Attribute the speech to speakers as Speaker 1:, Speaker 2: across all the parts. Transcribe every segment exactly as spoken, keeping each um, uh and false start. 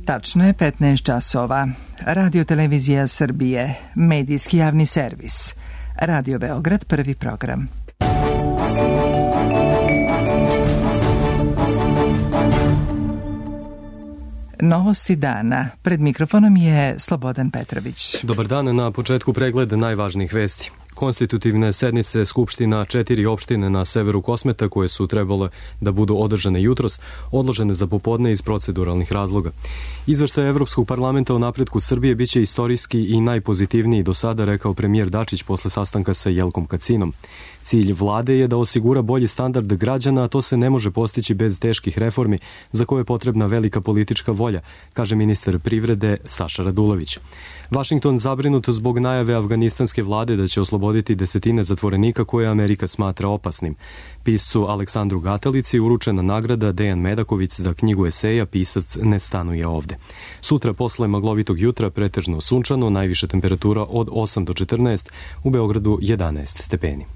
Speaker 1: Tačno je petnaest časova. Radio Televizija Srbije, medijski javni servis. Radio Beograd, prvi program. Novosti dana. Pred mikrofonom je Slobodan Petrović.
Speaker 2: Dobar dan, na početku pregled najvažnijih vesti. Konstitutivne sednice Skupština četiri opštine na severu Kosmeta, koje su trebale da budu održane jutros, odložene za popodne iz proceduralnih razloga. Izveštaj Evropskog parlamenta o napretku Srbije biće istorijski i najpozitivniji do sada, rekao premijer Dačić posle sastanka sa Jelkom Kacinom. Cilj vlade je da osigura bolji standard građana, a to se ne može postići bez teških reformi za koje je potrebna velika politička volja, kaže ministar privrede Saša Radulović. Vašington zabrinut zbog najave afganistanske vlade da će osloboditi desetine zatvorenika koje Amerika smatra opasnim. Piscu Aleksandru Gatelici uručena nagrada Dejan Medaković za knjigu eseja Pisac ne stanuje ovde. Sutra posle maglovitog jutra pretežno sunčano, najviša temperatura od osam do četrnaest, u Beogradu jedanaest stepeni.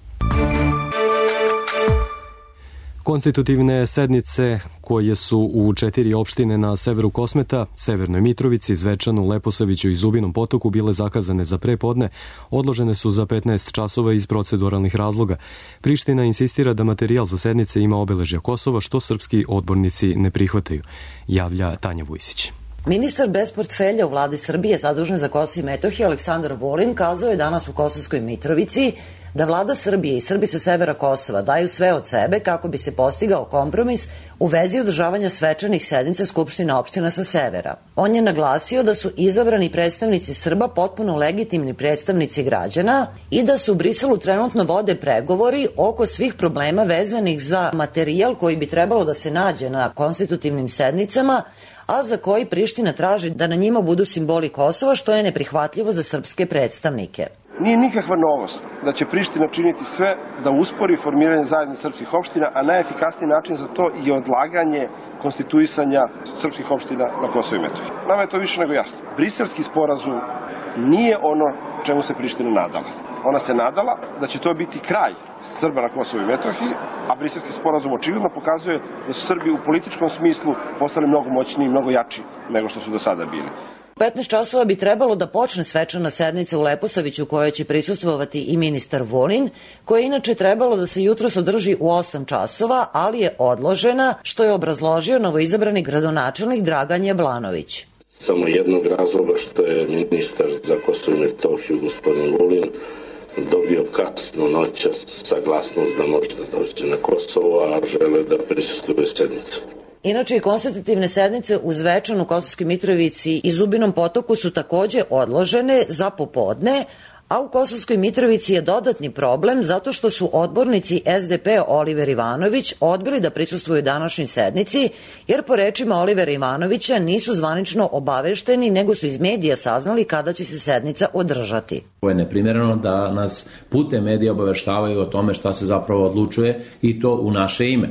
Speaker 2: Konstitutivne sednice koje su u četiri opštine na severu Kosmeta, Severnoj Mitrovici, Zvečanu, Leposaviću i Zubinom Potoku bile zakazane za prepodne, odložene su za petnaest časova iz proceduralnih razloga. Priština insistira da materijal za sednice ima obeležja Kosova, što srpski odbornici ne prihvataju, javlja Tanja Vujsić.
Speaker 3: Ministar bez portfelja u vladi Srbije zadužen za Kosovo i Metohiju Aleksandar Vulin kazao je danas u Kosovskoj Mitrovici da vlada Srbije i Srbi sa severa Kosova daju sve od sebe kako bi se postigao kompromis u vezi održavanja svečanih sednica Skupština opština sa severa. On je naglasio da su izabrani predstavnici Srba potpuno legitimni predstavnici građana i da se u Briselu trenutno vode pregovori oko svih problema vezanih za materijal koji bi trebalo da se nađe na konstitutivnim sednicama, a za koji Priština traži da na njima budu simboli Kosova, što je neprihvatljivo za srpske predstavnike.
Speaker 4: Nije nikakva novost da će Priština činiti sve da uspori formiranje zajednice srpskih opština, a najefikasniji način za to je odlaganje konstituisanja srpskih opština na Kosovo i Metohiji. Nama je to više nego jasno. Briselski sporazum nije ono čemu se Priština nadala. Ona se nadala da će to biti kraj Srba na Kosovo i Metohiji, a Briselski sporazum očigledno pokazuje da su Srbi u političkom smislu postali mnogo moćniji i mnogo jači nego što su do sada bili.
Speaker 3: petnaest časova bi trebalo da počne svečana sednica u Leposaviću, kojoj će prisustvovati i ministar Vulin, koja je inače trebalo da se jutros održi u osam časova, ali je odložena, što je obrazložio novoizabrani gradonačelnik Dragan Jablanović.
Speaker 5: Samo jednog razloga što je ministar za Kosovo i Metohiju, gospodin Vulin, dobio kasno noćas saglasnost da može da dođe na Kosovo, a žele da prisustvuje sednicu.
Speaker 3: Inače, i konstitutivne sednice u Zvečanu, Kosovskoj Mitrovici i Zubinom Potoku su takođe odložene za popodne, a u Kosovskoj Mitrovici je dodatni problem zato što su odbornici S D P Oliver Ivanović odbili da prisustvuju današnjoj sednici, jer po rečima Olivera Ivanovića nisu zvanično obavešteni, nego su iz medija saznali kada će se sednica održati.
Speaker 6: Ovo je neprimjereno da nas putem medija obaveštavaju o tome šta se zapravo odlučuje i to u naše ime.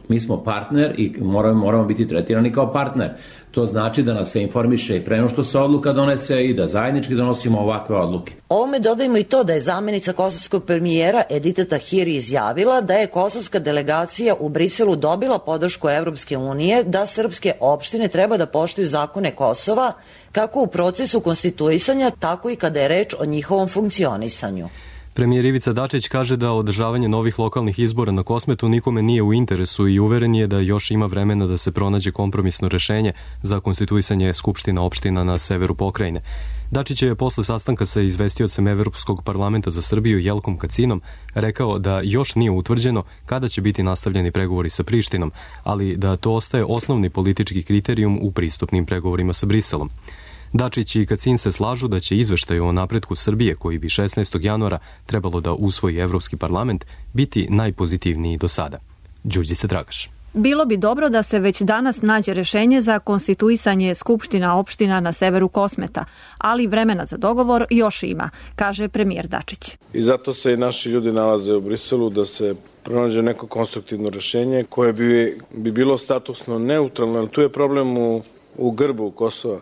Speaker 6: Mi smo partner i moramo, moramo biti tretirani kao partner. To znači da nas se informiše i pre nego što se odluka donese i da zajednički donosimo ovakve odluke.
Speaker 3: Ovome dodajmo i to da je zamenica kosovskog premijera Edita Tahiri izjavila da je kosovska delegacija u Briselu dobila podršku Evropske unije da srpske opštine treba da poštuju zakone Kosova, kako u procesu konstituisanja, tako i kada je reč o njihovom funkcionisanju.
Speaker 2: Premijer Ivica Dačić kaže da održavanje novih lokalnih izbora na Kosmetu nikome nije u interesu i uveren je da još ima vremena da se pronađe kompromisno rešenje za konstituisanje Skupština opština na severu pokrajine. Dačić je posle sastanka sa izvestiocem Evropskog parlamenta za Srbiju Jelkom Kacinom rekao da još nije utvrđeno kada će biti nastavljeni pregovori sa Prištinom, ali da to ostaje osnovni politički kriterijum u pristupnim pregovorima sa Briselom. Dačić i Kacin se slažu da će izveštaj o napretku Srbije, koji bi šesnaestog januara trebalo da usvoji Evropski parlament, biti najpozitivniji do sada. Đurđica Dragaš.
Speaker 7: Bilo bi dobro da se već danas nađe rešenje za konstituisanje Skupština opština na severu Kosmeta, ali vremena za dogovor još ima, kaže premijer Dačić.
Speaker 8: I zato se i naši ljudi nalaze u Briselu da se pronađe neko konstruktivno rešenje koje bi, bi bilo statusno neutralno, ali tu je problem u, u grbu Kosova.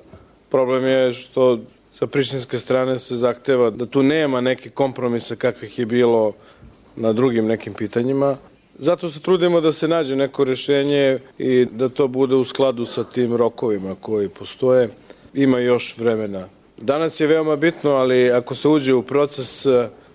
Speaker 8: Problem je što sa prištinske strane se zahteva da tu nema neke kompromisa kakvih je bilo na drugim nekim pitanjima. Zato se trudimo da se nađe neko rešenje i da to bude u skladu sa tim rokovima koji postoje. Ima još vremena. Danas je veoma bitno, ali ako se uđe u proces,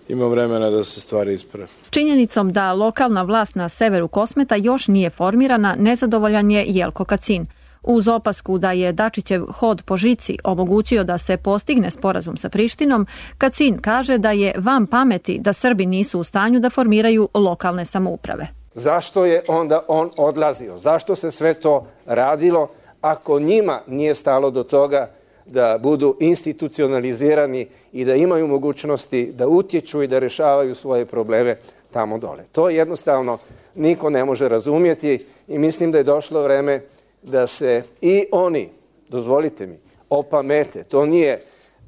Speaker 8: ima vremena da se stvari isprave.
Speaker 7: Činjenicom da lokalna vlast na severu Kosmeta još nije formirana, nezadovoljan je Jelko Kacin. Uz opasku da je Dačićev hod po žici omogućio da se postigne sporazum sa Prištinom, Kacin kaže da je van pameti da Srbi nisu u stanju da formiraju lokalne samouprave.
Speaker 9: Zašto je onda on odlazio? Zašto se sve to radilo ako njima nije stalo do toga da budu institucionalizirani i da imaju mogućnosti da utječu i da rešavaju svoje probleme tamo dole? To jednostavno niko ne može razumjeti i mislim da je došlo vreme da se i oni, dozvolite mi, opamete. To nije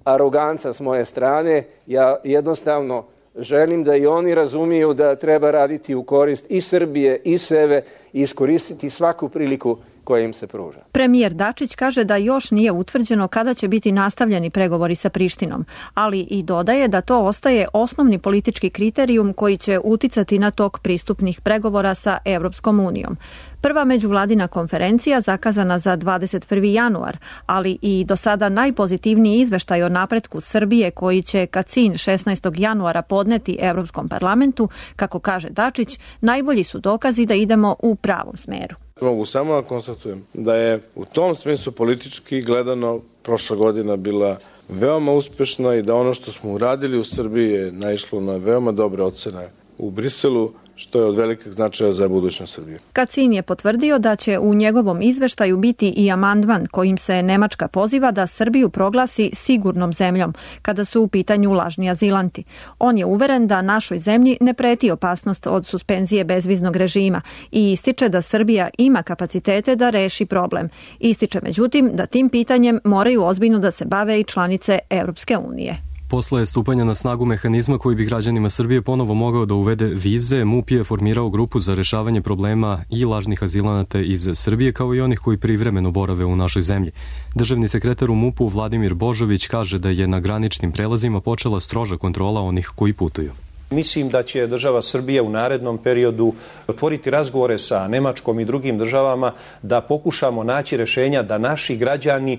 Speaker 9: aroganca s moje strane, ja jednostavno želim da i oni razumiju da treba raditi u korist i Srbije i sebe i iskoristiti svaku priliku koja im se pruža.
Speaker 7: Premijer Dačić kaže da još nije utvrđeno kada će biti nastavljeni pregovori sa Prištinom, ali i dodaje da to ostaje osnovni politički kriterijum koji će uticati na tok pristupnih pregovora sa Evropskom unijom. Prva međuvladina konferencija zakazana za dvadeset prvi januar, ali i do sada najpozitivniji izveštaj o napretku Srbije koji će Kacin šesnaestog januara podneti Evropskom parlamentu, kako kaže Dačić, najbolji su dokazi da idemo u pravom smeru.
Speaker 8: Mogu samo da konstatujem da je u tom smislu politički gledano prošla godina bila veoma uspešna i da ono što smo uradili u Srbiji je naišlo na veoma dobre ocene u Briselu, što je od velikog značaja za budućnost Srbije.
Speaker 7: Kacin je potvrdio da će u njegovom izveštaju biti i amandman kojim se Nemačka poziva da Srbiju proglasi sigurnom zemljom kada su u pitanju lažni azilanti. On je uveren da našoj zemlji ne preti opasnost od suspenzije bezviznog režima i ističe da Srbija ima kapacitete da reši problem. Ističe međutim da tim pitanjem moraju ozbiljno da se bave i članice Evropske unije.
Speaker 2: Posle stupanja na snagu mehanizma koji bi građanima Srbije ponovo mogao da uvede vize, MUP je formirao grupu za rešavanje problema i lažnih azilanata iz Srbije, kao i onih koji privremeno borave u našoj zemlji. Državni sekretar u MUP-u Vladimir Božović kaže da je na graničnim prelazima počela stroža kontrola onih koji putuju.
Speaker 10: Mislim da će država Srbija u narednom periodu otvoriti razgovore sa Nemačkom i drugim državama da pokušamo naći rešenja da naši građani e,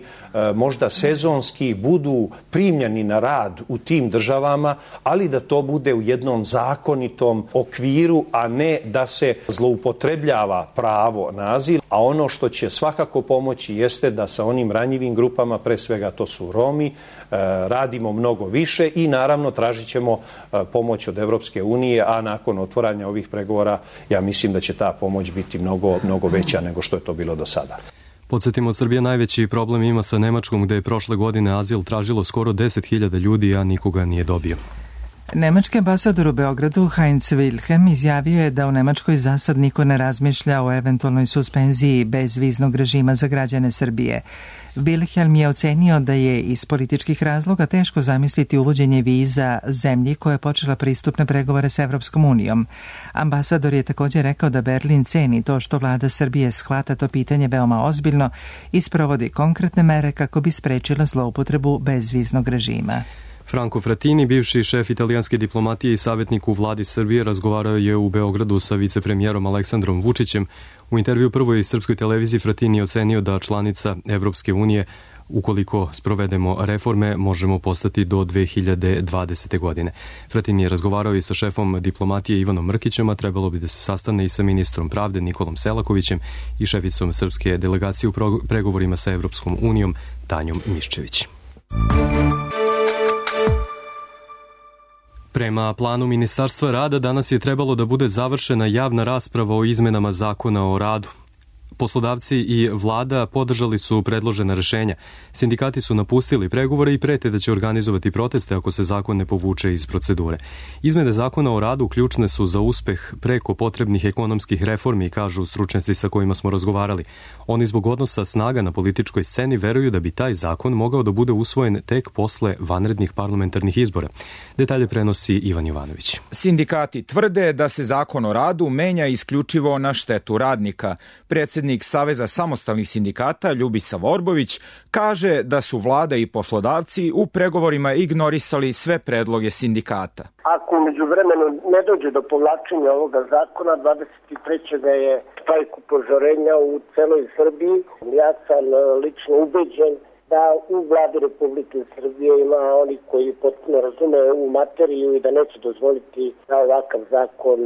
Speaker 10: možda sezonski budu primljeni na rad u tim državama, ali da to bude u jednom zakonitom okviru, a ne da se zloupotrebljava pravo na azil. A ono što će svakako pomoći jeste da sa onim ranjivim grupama, pre svega to su Romi, e, radimo mnogo više i naravno tražit ćemo e, pomoć od Evropske unije, a nakon otvaranja ovih pregovora ja mislim da će ta pomoć biti mnogo, mnogo veća nego što je to bilo do sada.
Speaker 2: Podsjetimo, Srbija najveći problem ima sa Nemačkom, gde je prošle godine azil tražilo skoro deset hiljada ljudi, a nikoga nije dobio.
Speaker 1: Nemački ambasador u Beogradu Heinz Wilhelm izjavio je da u Nemačkoj za sad niko ne razmišlja o eventualnoj suspenziji bezviznog režima za građane Srbije. Wilhelm je ocenio da je iz političkih razloga teško zamisliti uvođenje viza zemlji koja je počela pristupne pregovore s Evropskom unijom. Ambasador je također rekao da Berlin ceni to što vlada Srbije shvata to pitanje veoma ozbiljno i sprovodi konkretne mere kako bi sprečila zloupotrebu bezviznog režima.
Speaker 2: Franco Frattini, bivši šef italijanske diplomatije i savjetnik u vladi Srbije, razgovarao je u Beogradu sa vicepremijerom Aleksandrom Vučićem. U intervju prvoj srpskoj televiziji Frattini ocenio da članica Evropske unije, ukoliko sprovedemo reforme, možemo postati do dve hiljade dvadesete. godine. Frattini je razgovarao i sa šefom diplomatije Ivanom Mrkićem, a trebalo bi da se sastane i sa ministrom pravde Nikolom Selakovićem i šeficom srpske delegacije u pregovorima sa Evropskom unijom Tanjom Miščević. Prema planu Ministarstva rada danas je trebalo da bude završena javna rasprava o izmenama zakona o radu. Poslodavci i vlada podržali su predložena rešenja. Sindikati su napustili pregovore i prete da će organizovati proteste ako se zakon ne povuče iz procedure. Izmene zakona o radu ključne su za uspeh preko potrebnih ekonomskih reformi, kažu stručnjaci sa kojima smo razgovarali. Oni zbog odnosa snaga na političkoj sceni veruju da bi taj zakon mogao da bude usvojen tek posle vanrednih parlamentarnih izbora. Detalje prenosi Ivan Jovanović.
Speaker 11: Sindikati tvrde da se zakon o radu menja isključivo na štetu radnika. Predsjednik predsednik Saveza samostalnih sindikata Ljubica Vorbović kaže da su vlada i poslodavci u pregovorima ignorisali sve predloge sindikata.
Speaker 12: Ako umeđu vremenu ne dođe do povlačenja ovoga zakona, dvadeset trećeg je štrajk upozorenja u celoj Srbiji. Ja sam lično ubeđen da u vladi Republike Srbije ima oni koji potpuno razume ovu materiju i da neće dozvoliti da ovakav zakon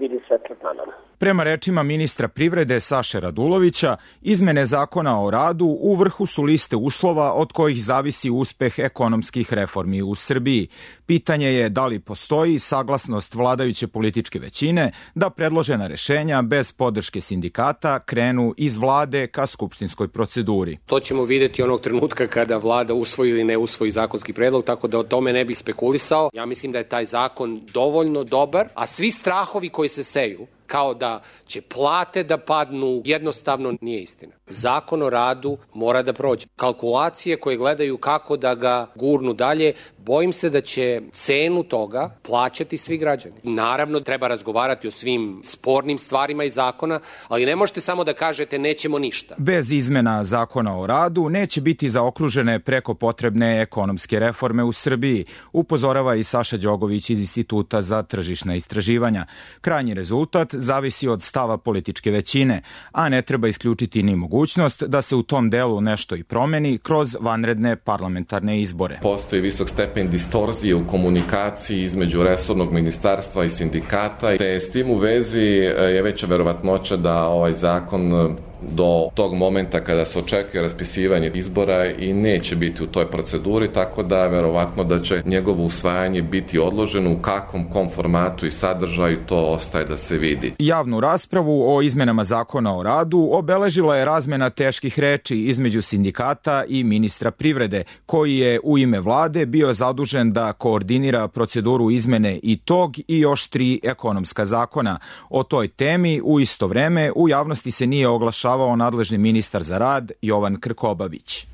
Speaker 12: vidi svetlo dana.
Speaker 11: Prema rečima ministra privrede Saše Radulovića, izmene zakona o radu u vrhu su liste uslova od kojih zavisi uspeh ekonomskih reformi u Srbiji. Pitanje je da li postoji saglasnost vladajuće političke većine da predložena rešenja bez podrške sindikata krenu iz vlade ka skupštinskoj proceduri.
Speaker 13: To ćemo videti onog trenutka kada vlada usvoji ili ne usvoji zakonski predlog, tako da o tome ne bih spekulisao. Ja mislim da je taj zakon dovoljno dobar, a svi strahovi koji se seju kao da će plate da padnu, jednostavno nije istina. Zakon o radu mora da prođe. Kalkulacije koje gledaju kako da ga gurnu dalje, bojim se da će cenu toga plaćati svi građani. Naravno, treba razgovarati o svim spornim stvarima iz zakona, ali ne možete samo da kažete nećemo ništa.
Speaker 11: Bez izmena zakona o radu neće biti zaokružene preko potrebne ekonomske reforme u Srbiji, upozorava i Saša Đogović iz Instituta za tržišna istraživanja. Krajnji rezultat zavisi od stava političke većine, a ne treba isključiti ni mogućnost da se u tom delu nešto i promeni kroz vanredne parlamentarne izbore.
Speaker 14: Postoji visok stepen distorzije u komunikaciji između resornog ministarstva i sindikata, te s tim u vezi je veća verovatnoća da ovaj zakon do tog momenta kada se očekuje raspisivanje izbora i neće biti u toj proceduri, tako da je verovatno da će njegovo usvajanje biti odloženo, u kakvom kom formatu i sadržaju to ostaje da se vidi.
Speaker 11: Javnu raspravu o izmenama zakona o radu obeležila je razmena teških reči između sindikata i ministra privrede, koji je u ime vlade bio zadužen da koordinira proceduru izmene i tog i još tri ekonomska zakona. O toj temi u isto vreme u javnosti se nije oglašavao nadležni ministar za rad Jovan Krkobabić.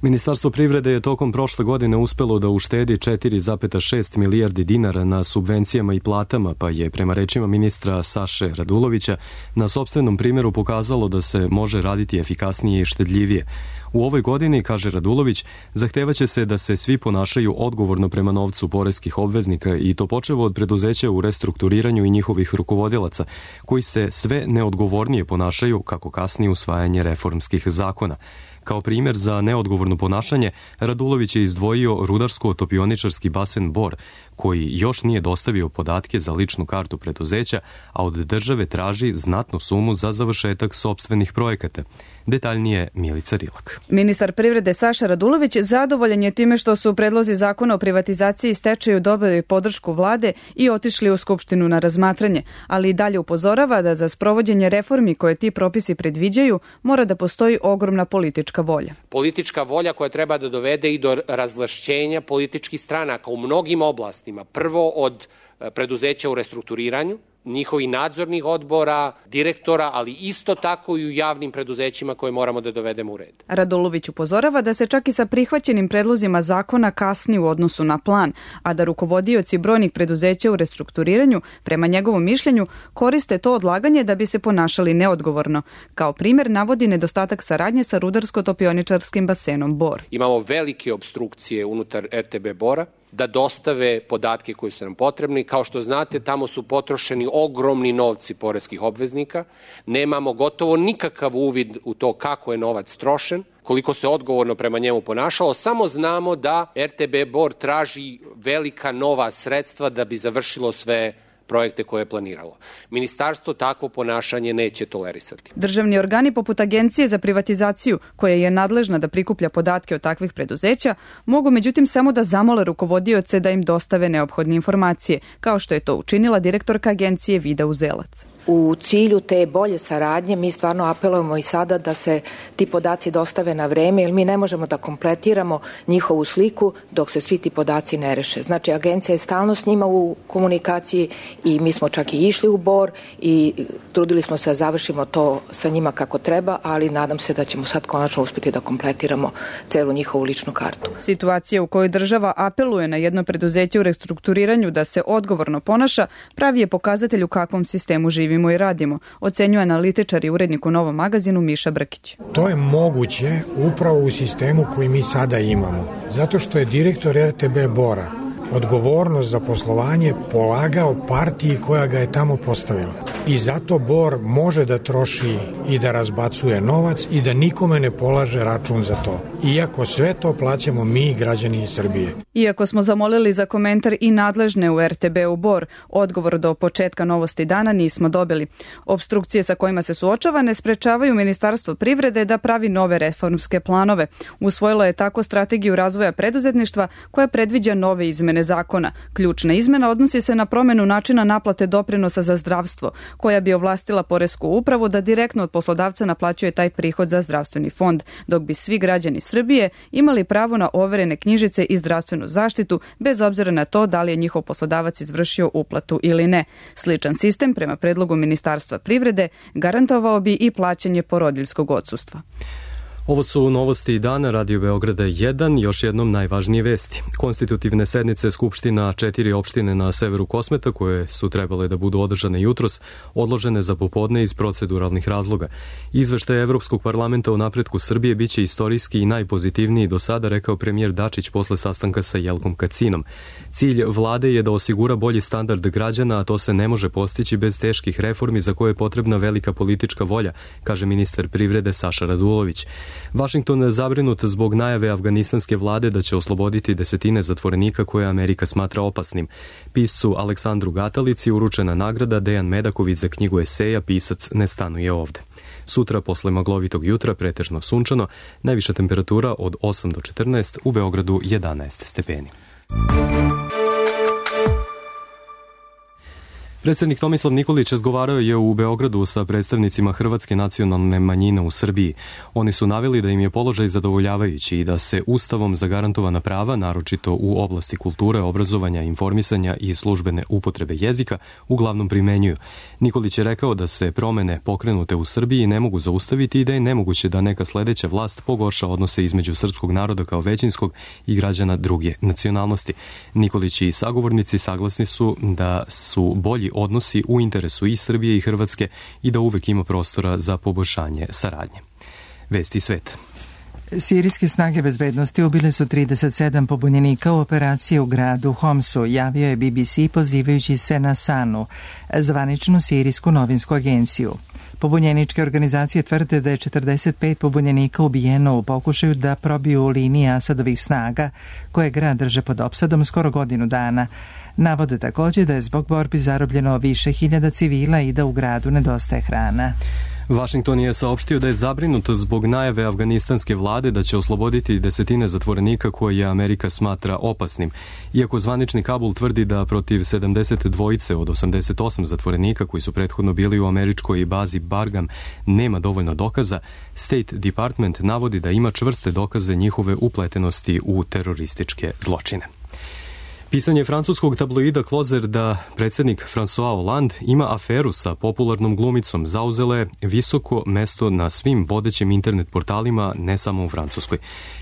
Speaker 2: Ministarstvo privrede je tokom prošle godine uspelo da uštedi četiri zarez šest milijardi dinara na subvencijama i platama, pa je prema rečima ministra Saše Radulovića na sopstvenom primjeru pokazalo da se može raditi efikasnije i štedljivije. U ovoj godini, kaže Radulović, zahtevaće se da se svi ponašaju odgovorno prema novcu poreskih obveznika i to počevo od preduzeća u restrukturiranju i njihovih rukovodilaca, koji se sve neodgovornije ponašaju kako kasnije usvajanje reformskih zakona. Kao primjer za neodgovorno ponašanje, Radulović je izdvojio rudarsko-topioničarski basen Bor, koji još nije dostavio podatke za ličnu kartu preduzeća, a od države traži znatnu sumu za završetak sopstvenih projekata. Detaljnije Milica Rilak.
Speaker 15: Ministar privrede Saša Radulović zadovoljan je time što su predlozi zakona o privatizaciji i stečaju dobili podršku vlade i otišli u Skupštinu na razmatranje, ali i dalje upozorava da za sprovođenje reformi koje ti propisi predviđaju mora da postoji ogromna politička volja.
Speaker 13: Politička volja koja treba da dovede i do razvlašćenja političkih stranaka u mnogim oblastima. Prvo od preduzeća u restrukturiranju, njihovih nadzornih odbora, direktora, ali isto tako i u javnim preduzećima koje moramo da dovedemo u red.
Speaker 15: Radulović upozorava da se čak i sa prihvaćenim predlozima zakona kasni u odnosu na plan, a da rukovodioci brojnih preduzeća u restrukturiranju, prema njegovom mišljenju, koriste to odlaganje da bi se ponašali neodgovorno. Kao primjer navodi nedostatak saradnje sa rudarsko-topioničarskim basenom Bor.
Speaker 13: Imamo velike obstrukcije unutar R T B Bora, da dostave podatke koji su nam potrebni. Kao što znate, tamo su potrošeni ogromni novci poreskih obveznika. Nemamo gotovo nikakav uvid u to kako je novac trošen, koliko se odgovorno prema njemu ponašalo. Samo znamo da R T B Bor traži velika nova sredstva da bi završilo sve projekte koje je planiralo. Ministarstvo takvo ponašanje neće tolerisati.
Speaker 15: Državni organi poput Agencije za privatizaciju, koja je nadležna da prikuplja podatke od takvih preduzeća, mogu međutim samo da zamole rukovodioce da im dostave neophodne informacije, kao što je to učinila direktorka agencije Vida Uzelac.
Speaker 16: U cilju te bolje saradnje mi stvarno apelujemo i sada da se ti podaci dostave na vreme, jer mi ne možemo da kompletiramo njihovu sliku dok se svi ti podaci ne reše. Znači, agencija je stalno s njima u komunikaciji i mi smo čak i išli u Bor i trudili smo se da završimo to sa njima kako treba, ali nadam se da ćemo sad konačno uspjeti da kompletiramo celu njihovu ličnu kartu.
Speaker 15: Situacija u kojoj država apeluje na jedno preduzeće u restrukturiranju da se odgovorno ponaša pravi je pokazatelj u kakvom sistemu živi živimo i radimo, ocenjuje analitičar i urednik u Novom magazinu Miša Brkić.
Speaker 17: To je moguće upravo u sistemu koji mi sada imamo, zato što je direktor er te be Bora odgovornost za poslovanje polagao partiji koja ga je tamo postavila. I zato Bor može da troši i da razbacuje novac i da nikome ne polaže račun za to. Iako sve to plaćamo mi, građani Srbije.
Speaker 15: Iako smo zamolili za komentar i nadležne u er te be-u Bor, odgovor do početka Novosti dana nismo dobili. Obstrukcije sa kojima se suočava ne sprečavaju Ministarstvo privrede da pravi nove reformske planove. Usvojilo je tako strategiju razvoja preduzetništva koja predviđa nove izmene zakona. Ključna izmena odnosi se na promenu načina naplate doprinosa za zdravstvo, koja bi ovlastila poresku upravu da direktno od poslodavca naplaćuje taj prihod za zdravstveni fond, dok bi svi građani Srbije imali pravo na overene knjižice i zdravstvenu zaštitu, bez obzira na to da li je njihov poslodavac izvršio uplatu ili ne. Sličan sistem, prema predlogu Ministarstva privrede, garantovao bi i plaćanje porodiljskog odsustva.
Speaker 2: Ovo su novosti dana Radio Beograda jedan, još jednom najvažnije vesti. Konstitutivne sednice Skupština četiri opštine na severu Kosmeta, koje su trebale da budu održane jutros, odložene za popodne iz proceduralnih razloga. Izveštaj Evropskog parlamenta o napretku Srbije biće istorijski i najpozitivniji do sada, rekao premijer Dačić posle sastanka sa Jelkom Kacinom. Cilj vlade je da osigura bolji standard građana, a to se ne može postići bez teških reformi za koje je potrebna velika politička volja, kaže ministar privrede Saša Radulović. Vašington je zabrinut zbog najave afganistanske vlade da će osloboditi desetine zatvorenika koje Amerika smatra opasnim. Piscu Aleksandru Gatalici uručena nagrada, Dejan Medaković za knjigu eseja Pisac ne stanuje ovde. Sutra posle maglovitog jutra pretežno sunčano, najviša temperatura od osam do četrnaest, u Beogradu jedanaest stepeni. Predsednik Tomislav Nikolić razgovarao je u Beogradu sa predstavnicima hrvatske nacionalne manjine u Srbiji. Oni su naveli da im je položaj zadovoljavajući i da se Ustavom zagarantovana prava, naročito u oblasti kulture, obrazovanja, informisanja i službene upotrebe jezika, uglavnom primenjuju. Nikolić je rekao da se promene pokrenute u Srbiji ne mogu zaustaviti i da je nemoguće da neka sledeća vlast pogorša odnose između srpskog naroda kao većinskog i građana druge nacionalnosti. Nikolić i sagovornici saglasni su da su bolji odnosi u interesu i Srbije i Hrvatske i da uvek ima prostora za poboljšanje saradnje. Vesti sveta.
Speaker 1: Sirijske snage bezbednosti ubile su trideset sedam pobunjenika u operaciji u gradu Homsu, javio je be be ce pozivajući se na Sanu, zvaničnu sirijsku novinsku agenciju. Pobunjeničke organizacije tvrde da je četrdeset pet pobunjenika ubijeno u pokušaju da probiju linije Asadovih snaga, koje grad drže pod opsadom skoro godinu dana. Navode također da je zbog borbi zarobljeno više hiljada civila i da u gradu nedostaje hrana.
Speaker 2: Vašington je saopštio da je zabrinut zbog najave afganistanske vlade da će osloboditi desetine zatvorenika koje Amerika smatra opasnim. Iako zvanični Kabul tvrdi da protiv sedamdeset dvojice od osamdeset osam zatvorenika koji su prethodno bili u američkoj bazi Bargam nema dovoljno dokaza, State Department navodi da ima čvrste dokaze njihove upletenosti u terorističke zločine. Pisanje francuskog tabloida Closer da predsednik François Hollande ima aferu sa popularnom glumicom zauzela je visoko mesto na svim vodećim internet portalima, ne samo u Francuskoj.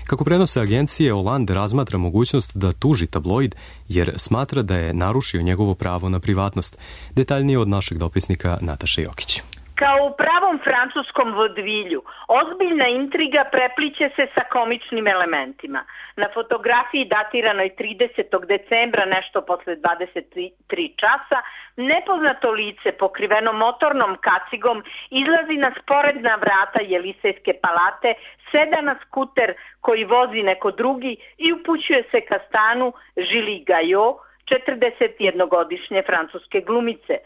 Speaker 2: Kako prenose agencije, Hollande razmatra mogućnost da tuži tabloid jer smatra da je narušio njegovo pravo na privatnost. Detaljnije od našeg dopisnika Nataše Jokić.
Speaker 18: Kao u pravom francuskom vodvilju, ozbiljna intriga prepliće se sa komičnim elementima. Na fotografiji datiranoj tridesetog decembra, nešto posle dvadeset tri časa, nepoznato lice pokriveno motornom kacigom izlazi na sporedna vrata Jelisejske palate, seda na skuter koji vozi neko drugi i upućuje se ka stanu Julie Gayot, četrdesetjednogodišnje francuske glumice.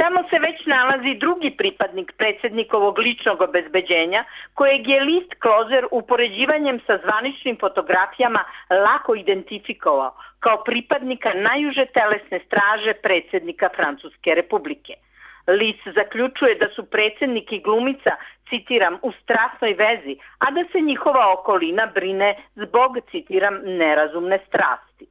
Speaker 18: Tamo se već nalazi drugi pripadnik predsjednikovog ličnog obezbeđenja, kojeg je list Closer upoređivanjem sa zvaničnim fotografijama lako identifikovao kao pripadnika najuže telesne straže predsjednika Francuske republike. List zaključuje da su predsjednik i glumica, citiram, u strasnoj vezi, a da se njihova okolina brine zbog, citiram, nerazumne strasti.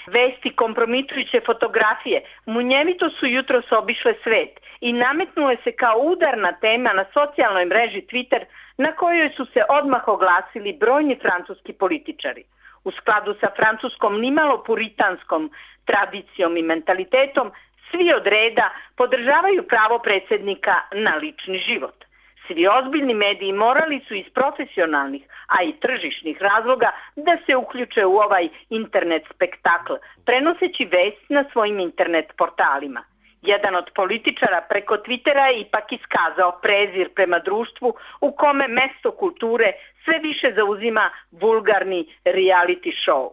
Speaker 18: Vesti kompromitujuće fotografije munjevito su jutros obišle svet i nametnule se kao udarna tema na socijalnoj mreži Twitter, na kojoj su se odmah oglasili brojni francuski političari. U skladu sa francuskom nimalo puritanskom tradicijom i mentalitetom, Svi od reda podržavaju pravo predsjednika na lični život. Svi ozbiljni mediji morali su iz profesionalnih, a i tržišnih razloga da se uključe u ovaj internet spektakl, prenoseći vest na svojim internet portalima. Jedan od političara preko Twittera je ipak iskazao prezir prema društvu u kome mesto kulture sve više zauzima vulgarni reality show.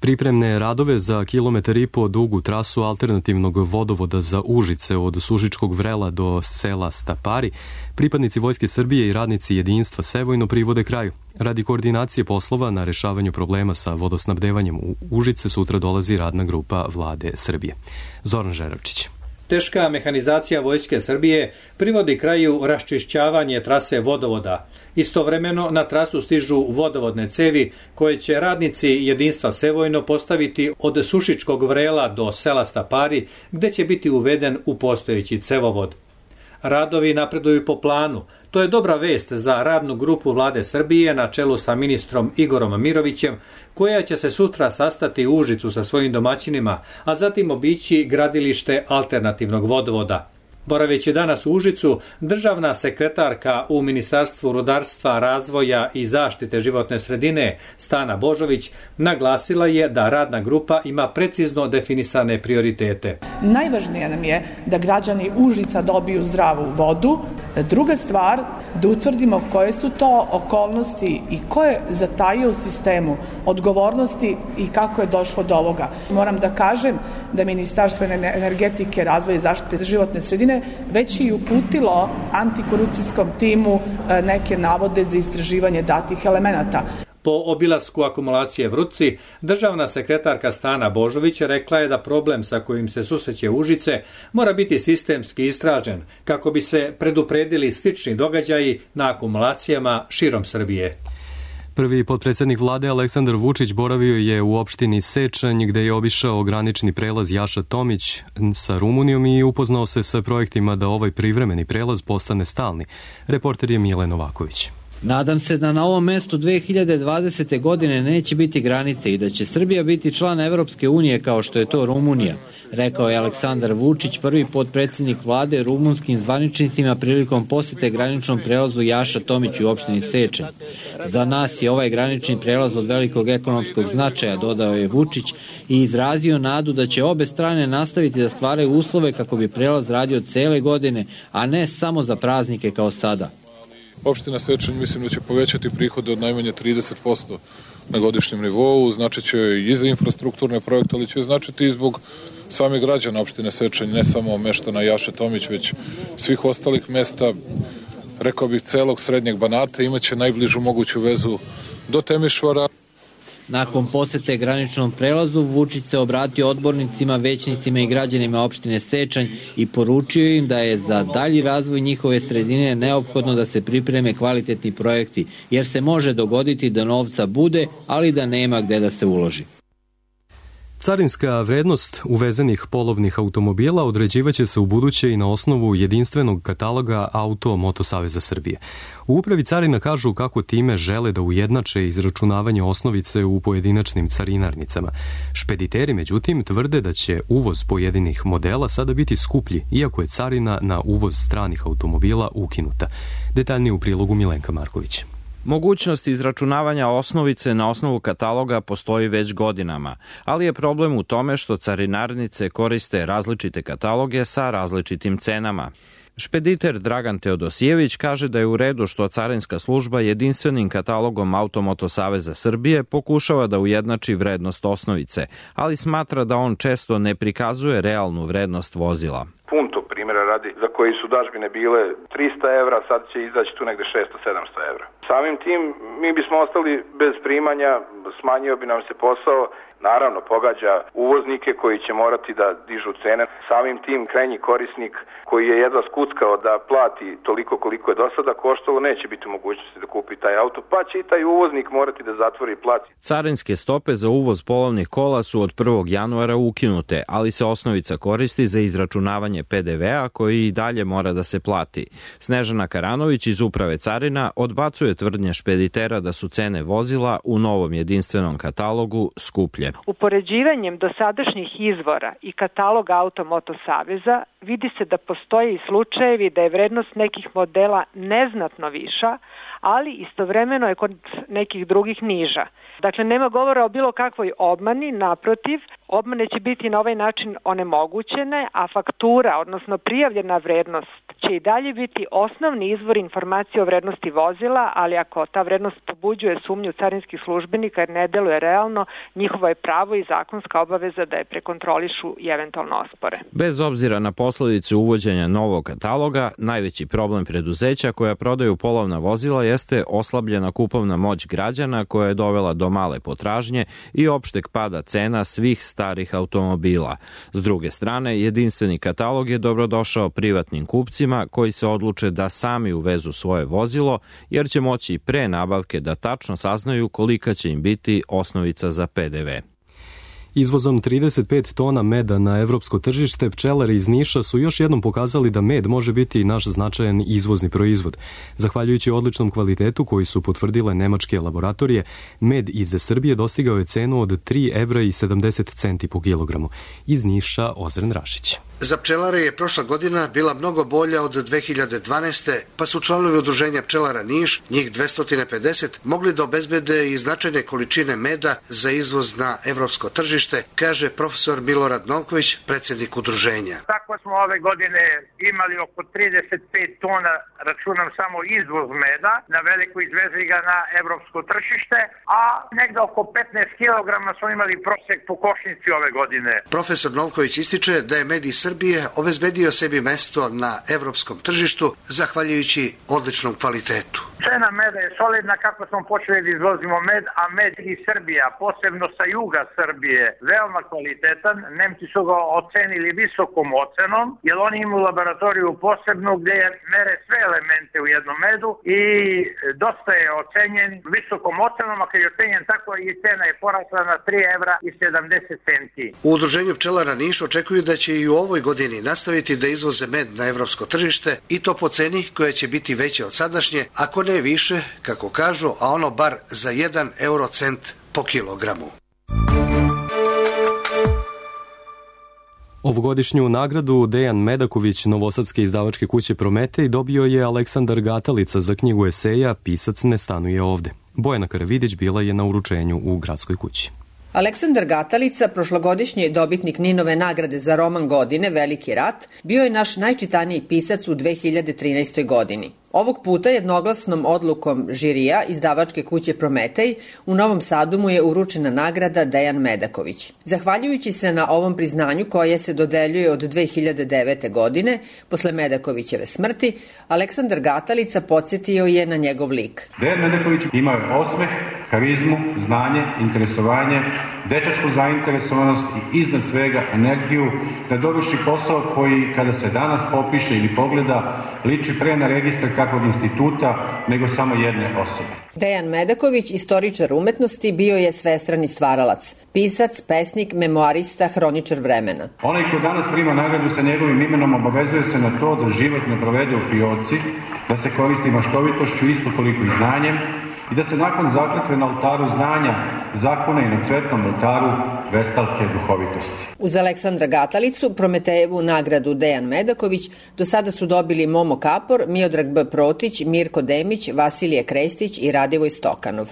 Speaker 2: Pripremne radove za kilometar i po dugu trasu alternativnog vodovoda za Užice od Sušičkog Vrela do sela Stapari pripadnici Vojske Srbije i radnici jedinstva Sevojno privode kraju. Radi koordinacije poslova na rešavanju problema sa vodosnabdevanjem u Užice sutra dolazi radna grupa Vlade Srbije. Zoran Žeravčić.
Speaker 19: Teška mehanizacija Vojske Srbije privodi kraju raščišćavanje trase vodovoda. Istovremeno na trasu stižu vodovodne cevi koje će radnici jedinstva Sevojno postaviti od Sušičkog Vrela do sela Stapari, gde će biti uveden u postojeći cevovod. Radovi napreduju po planu. To je dobra vest za radnu grupu Vlade Srbije na čelu sa ministrom Igorom Mirovićem, koja će se sutra sastati u Užicu sa svojim domaćinima, a zatim obići gradilište alternativnog vodovoda. Boraveći danas u Užicu, državna sekretarka u Ministarstvu rudarstva, razvoja i zaštite životne sredine Stana Božović naglasila je da radna grupa ima precizno definisane prioritete.
Speaker 20: Najvažnije nam je da građani Užica dobiju zdravu vodu. Druga stvar, da utvrdimo koje su to okolnosti i ko je zatajio u sistemu odgovornosti i kako je došlo do ovoga. Moram da kažem da Ministarstvo energetike, razvoja i zaštite životne sredine već i uputilo antikorupcijskom timu neke navode za istraživanje datih elemenata.
Speaker 19: Po obilasku akumulacije Vrutci, državna sekretarka Stana Božović rekla je da problem sa kojim se susreće Užice mora biti sistemski istražen kako bi se predupredili slični događaji na akumulacijama širom Srbije.
Speaker 2: Prvi potpredsjednik vlade Aleksandar Vučić boravio je u opštini Sečanj gde je obišao granični prelaz Jaša Tomić sa Rumunijom i upoznao se sa projektima da ovaj privremeni prelaz postane stalni. Reporter je Mile Novaković.
Speaker 21: Nadam se da na ovom mestu dve hiljade dvadesete. godine neće biti granice i da će Srbija biti član Evropske unije kao što je to Rumunija, rekao je Aleksandar Vučić, prvi potpredsjednik vlade rumunskim zvaničnicima prilikom posete graničnom prelazu Jaša Tomić u opštini Sečanj. Za nas je ovaj granični prelaz od velikog ekonomskog značaja, dodao je Vučić i izrazio nadu da će obe strane nastaviti da stvaraju uslove kako bi prelaz radio cele godine, a ne samo za praznike kao sada.
Speaker 22: Opština Sečanj mislim da će povećati prihode od najmanje trideset posto na godišnjem nivou, znači će i za infrastrukturne projekte, ali će značiti i zbog samih građana opštine Sečanj, ne samo meštana Jaše Tomić, već svih ostalih mesta, rekao bih celog srednjeg Banata, imaće najbližu moguću vezu do Temišvara.
Speaker 21: Nakon posete graničnom prelazu, Vučić se obratio odbornicima, većnicima i građanima opštine Sečanj i poručio im da je za dalji razvoj njihove sredine neophodno da se pripreme kvalitetni projekti, jer se može dogoditi da novca bude, ali da nema gde da se uloži.
Speaker 2: Carinska vrednost uvezenih polovnih automobila određivaće se u buduće i na osnovu jedinstvenog kataloga Auto Moto Saveza Srbije. U upravi carina kažu kako time žele da ujednače izračunavanje osnovice u pojedinačnim carinarnicama. Špediteri, međutim, tvrde da će uvoz pojedinih modela sada biti skuplji, iako je carina na uvoz stranih automobila ukinuta. Detaljnije u prilogu Milenka Marković.
Speaker 11: Mogućnost izračunavanja osnovice na osnovu kataloga postoji već godinama, ali je problem u tome što carinarnice koriste različite kataloge sa različitim cenama. Špediter Dragan Teodosijević kaže da je u redu što carinska služba jedinstvenim katalogom Automoto Saveza Srbije pokušava da ujednači vrednost osnovice, ali smatra da on često ne prikazuje realnu vrednost vozila.
Speaker 23: Punto primjera radi, za koji su dažbine bile trista evra, sad će izaći tu negde šesto do sedamsto evra. Samim tim mi bismo ostali bez primanja, smanjio bi nam se posao, naravno pogađa uvoznike koji će morati da dižu cene. Samim tim krajnji korisnik koji je jedva skuckao da plati toliko koliko je do sada koštalo, neće biti u mogućnosti da kupi taj auto, pa će i taj uvoznik morati da zatvori i plati.
Speaker 11: Carinske stope za uvoz polovnih kola su od prvog januara ukinute, ali se osnovica koristi za izračunavanje pe de ve a koji i dalje mora da se plati. Snežana Karanović iz Uprave carina odbacuje tvrdnje špeditera da su cene vozila u novom jedinstvenom katalogu skuplje.
Speaker 4: Upoređivanjem dosadašnjih izvora i kataloga Automoto Saveza vidi se da postoje i slučajevi da je vrednost nekih modela neznatno viša, ali istovremeno je kod nekih drugih niža. Dakle, nema govora o bilo kakvoj obmani, naprotiv, obmane će biti na ovaj način onemogućene, a faktura, odnosno prijavljena vrednost, će i dalje biti osnovni izvor informacije o vrednosti vozila, ali ako ta vrednost pobuđuje sumnju carinskih službenika jer ne deluje realno, njihovo je pravo i zakonska obaveza da je prekontrolišu i eventualno ospore.
Speaker 5: Bez obzira na posledice uvođenja novog kataloga, najveći problem preduzeća koja prodaju polovna vozila jeste oslabljena kupovna moć građana koja je dovela do male potražnje i opšteg pada cena svih starih automobila. S druge strane, jedinstveni katalog je dobrodošao privatnim kupcima koji se odluče da sami uvezu svoje vozilo, jer će moći pre nabavke da tačno saznaju kolika će im biti osnovica za P D V.
Speaker 2: Izvozom trideset pet tona meda na evropsko tržište, pčelari iz Niša su još jednom pokazali da med može biti naš značajan izvozni proizvod. Zahvaljujući odličnom kvalitetu koji su potvrdile nemačke laboratorije, med iz Srbije dostigao je cenu od tri evra i sedamdeset centi po kilogramu. Iz Niša, Ozren Rašić.
Speaker 6: Za pčelare je prošla godina bila mnogo bolja od dve hiljade dvanaeste. pa su članovi udruženja pčelara Niš, njih dvesta pedeset, mogli da obezbede i značajne količine meda za izvoz na evropsko tržište, kaže profesor Milorad Novković, predsjednik udruženja.
Speaker 24: Tako smo ove godine imali oko trideset pet tona, računam samo izvoz meda, na veliko izvezli ga na evropsko tržište, a negde oko petnaest kilograma smo imali prosek po košnici ove godine.
Speaker 6: Profesor Novković ističe da je med iz Srbije obezbedio sebi mesto na evropskom tržištu zahvaljujući odličnom kvalitetu.
Speaker 24: Cena meda je solidna kako smo počeli da izvozimo med, a med iz Srbija, posebno sa juga Srbije, veoma kvalitetan. Nemci su ga ocenili visokom ocenom, jer oni imaju laboratoriju posebnu gde mere sve elemente u jednom medu i dosta je ocenjen visokom ocenom, a kad je ocenjen tako i cena je porasla na tri evra i sedamdeset centi.
Speaker 6: U udruženju pčelara Niš očekuju da će i u ovoj godini nastaviti da izvoze med na evropsko tržište i to po ceni koja će biti veća od sadašnje, ako ne više, kako kažu, a ono bar za jedan eurocent po kilogramu.
Speaker 2: Ovogodišnju nagradu Dejan Medaković novosadske izdavačke kuće Prometej dobio je Aleksandar Gatalica za knjigu eseja Pisac ne stanuje ovde. Bojana Karavidić bila je na uručenju u gradskoj kući.
Speaker 25: Aleksandar Gatalica, prošlogodišnji dobitnik Ninove nagrade za roman godine Veliki rat, bio je naš najčitaniji pisac u dve hiljade trinaestoj. godini. Ovog puta jednoglasnom odlukom žirija izdavačke kuće Prometej u Novom Sadu mu je uručena nagrada Dejan Medaković. Zahvaljujući se na ovom priznanju koje se dodeljuje od dve hiljade devete. godine, posle Medakovićeve smrti, Aleksandar Gatalica podsjetio je na njegov lik.
Speaker 26: Dejan Medaković imao je osmeh, karizmu, znanje, interesovanje, dečačku zainteresovanost i iznad svega energiju da dovrši posao koji, kada se danas popiše ili pogleda, liči pre na registar kakvog instituta nego samo jedne osobe.
Speaker 25: Dejan Medaković, istoričar umetnosti, bio je svestrani stvaralac, pisac, pesnik, memoarista, hroničar vremena.
Speaker 26: Onaj ko danas prima nagradu sa njegovim imenom obavezuje se na to da život ne provede u fioci, da se koristi maštovitošću isto toliko i znanjem i da se nakon zakletve na oltaru znanja zakona i na cvetnom oltaru vestalke duhovitosti.
Speaker 25: Uz Aleksandra Gatalicu, Prometejevu nagradu Dejan Medaković do sada su dobili Momo Kapor, Miodrag B. Protić, Mirko Demić, Vasilije Krestić i Radivoj Stokanov.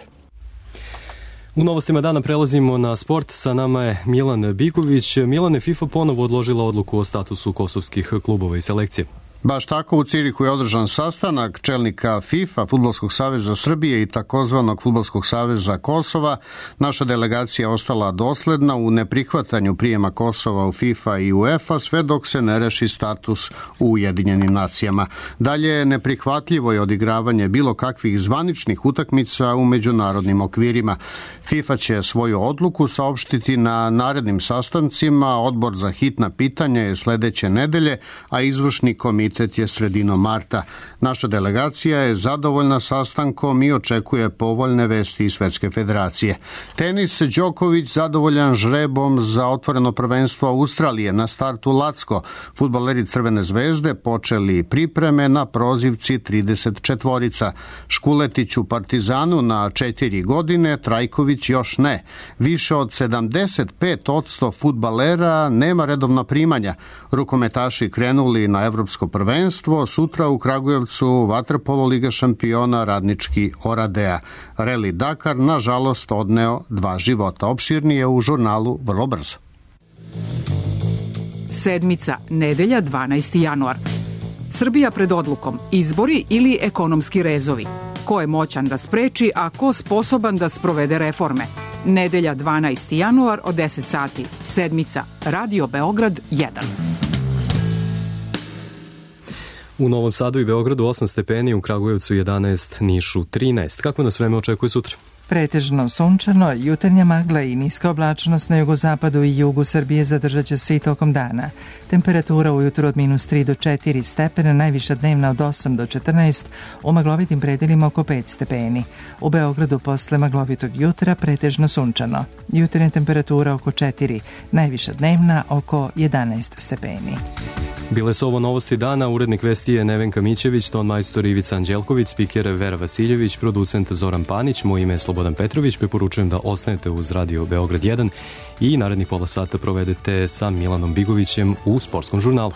Speaker 2: U novostima dana prelazimo na sport. Sa nama je Milan Biković. Milane, FIFA ponovo odložila odluku o statusu kosovskih klubova i selekcije.
Speaker 27: Baš tako, u Cirihu je održan sastanak čelnika FIFA, Fudbalskog saveza Srbije i takozvanog Fudbalskog saveza Kosova. Naša delegacija ostala dosledna u neprihvatanju prijema Kosova u FIFA i UEFA sve dok se ne reši status u Ujedinjenim nacijama. Dalje, neprihvatljivo je odigravanje bilo kakvih zvaničnih utakmica u međunarodnim okvirima. FIFA će svoju odluku saopštiti na narednim sastancima. Odbor za hitna pitanja je sledeće nedelje, a izvršni komitet komitet je sredinom marta. Naša delegacija je zadovoljna sastankom i očekuje povoljne vesti iz Svetske federacije. Tenis, Đoković zadovoljan žrebom za otvoreno prvenstvo Australije. Na startu Lacko. Fudbaleri Crvene zvezde počeli pripreme na prozivci trideset četvorica. Škuletić u Partizanu na četiri godine, Trajković još ne. Više od sedamdeset pet odsto fudbalera nema redovna primanja. Rukometaši krenuli na evropsko prvenstvo, sutra u Kragujevcu vaterpolo Liga šampiona Radnički Oradea. Reli Dakar nažalost odneo dva života. Opširnije u žurnalu vrlo brzo.
Speaker 3: Sedmica, nedelja, dvanaesti januar. Srbija pred odlukom, izbori ili ekonomski rezovi. Ko je moćan da spreči, a ko sposoban da sprovede reforme? Nedelja, dvanaesti januar od deset sati. Sedmica, Radio Beograd jedan.
Speaker 2: U Novom Sadu i Beogradu osam stepeni, u Kragujevcu jedanaest, Nišu trinaest. Kako nas vreme očekuje sutra?
Speaker 1: Pretežno sunčano, jutarnja magla i niska oblačnost na jugozapadu i jugu Srbije zadržat će se i tokom dana. Temperatura ujutro od minus tri do četiri stepena, najviša dnevna od osam do četrnaest, u maglovitim predelima oko pet stepeni. U Beogradu posle maglovitog jutra pretežno sunčano. Jutarnja temperatura oko četiri, najviša dnevna oko jedanaest stepeni.
Speaker 2: Bile su ovo novosti dana, urednik vesti je Nevenka Mićević, ton majstor Ivica Anđelković, spiker Vera Vasiljević, producent Zoran Panić, moje ime je Slobodan Petrović, preporučujem da ostanete uz Radio Beograd jedan i narednih pola sata provedete sa Milanom Bigovićem u Sportskom žurnalu.